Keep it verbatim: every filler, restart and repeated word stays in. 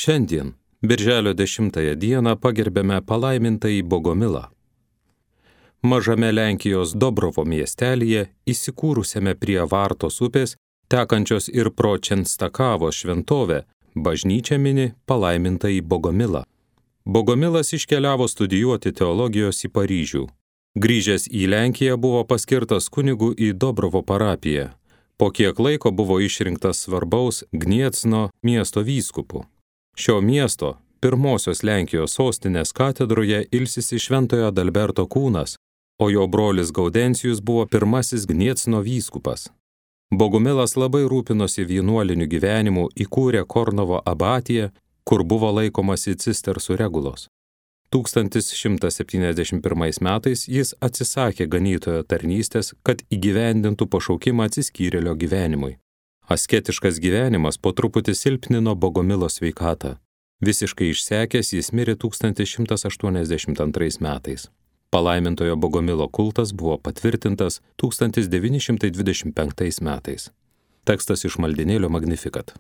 Šiandien, birželio dešimtąją dieną, pagerbėme palaimintąjį Bogomilą. Mažame Lenkijos Dobrovo miestelyje, įsikūrusiame prie Vartos upės, tekančios ir pro Čenstakavos šventovę, bažnyčia mini palaimintąjį Bogomilą. Bogomilas iškeliavo studijuoti teologijos į Paryžių. Grįžęs į Lenkiją buvo paskirtas kunigu į Dobrovo parapiją. Po kiek laiko buvo išrinktas svarbaus Gniecno miesto vyskupu. Šio miesto, pirmosios Lenkijos sostinės katedroje, ilsisi Šventojo Adalberto kūnas, o jo brolis Gaudencijus buvo pirmasis Gniecno vyskupas. Bogumilas labai rūpinosi vienuoliniu gyvenimu, įkūrė Kornovo abatiją, kur buvo laikomasi cistersų regulos. tūkstantis šimtas septyniasdešimt pirmais metais jis atsisakė ganytojo tarnystės, kad įgyvendintų pašaukimą atsiskyrėlio gyvenimui. Asketiškas gyvenimas po truputį silpnino Bogomilo sveikatą. Visiškai išsekęs jis mirė tūkstantis šimtas aštuoniasdešimt antrais metais. Palaimintojo Bogomilo kultas buvo patvirtintas tūkstantis devyni šimtai dvidešimt penktais metais. Tekstas iš maldinėlio Magnificat.